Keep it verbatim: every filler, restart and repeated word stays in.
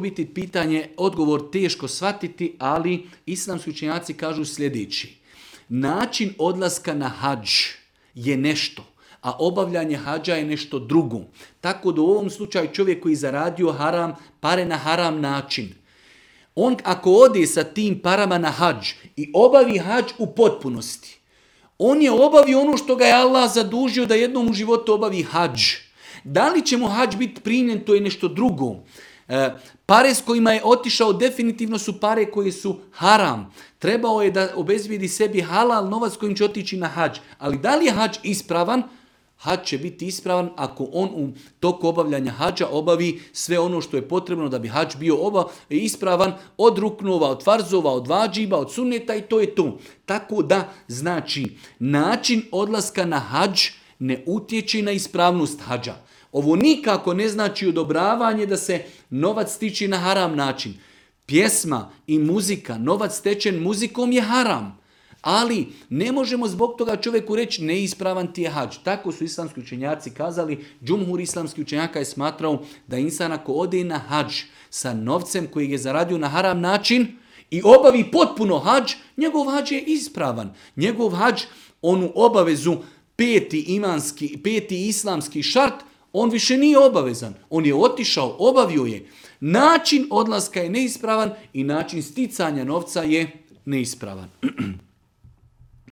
biti pitanje, odgovor teško shvatiti, ali islamski učenjaci kažu sljedeći. Način odlaska na hadž je nešto, a obavljanje hađa je nešto drugo. Tako da u ovom slučaju čovjek koji zaradio haram, pare na haram način, on ako ode sa tim parama na hadž i obavi hadž u potpunosti, on je obavio ono što ga je Allah zadužio da jednom u životu obavi hadž. Da li će mu hadž biti primljen, to je nešto drugo. E, pare s kojima je otišao definitivno su pare koje su haram. Trebao je da obezbijedi sebi halal novac kojim će otići na hadž. Ali da li je hadž ispravan? Hadž će biti ispravan ako on u toku obavljanja hadža obavi sve ono što je potrebno da bi hadž bio oba ispravan od ruknova, od farzova, od vađiba, od sunneta i to je to. Tako da, znači, način odlaska na hadž ne utječe na ispravnost hadža. Ovo nikako ne znači odobravanje da se novac stiče na haram način. Pjesma i muzika, novac stečen muzikom je haram. Ali ne možemo zbog toga čovjeku reći neispravan ti je hadž. Tako su islamski učenjaci kazali. Džumhur islamskih učenjaka je smatrao da insan ako ode na hadž sa novcem koji je zaradio na haram način i obavi potpuno hadž, njegov hadž je ispravan. Njegov hadž, onu obavezu peti imanski, peti islamski šart, on više nije obavezan. On je otišao, obavio je. Način odlaska je neispravan i način sticanja novca je neispravan.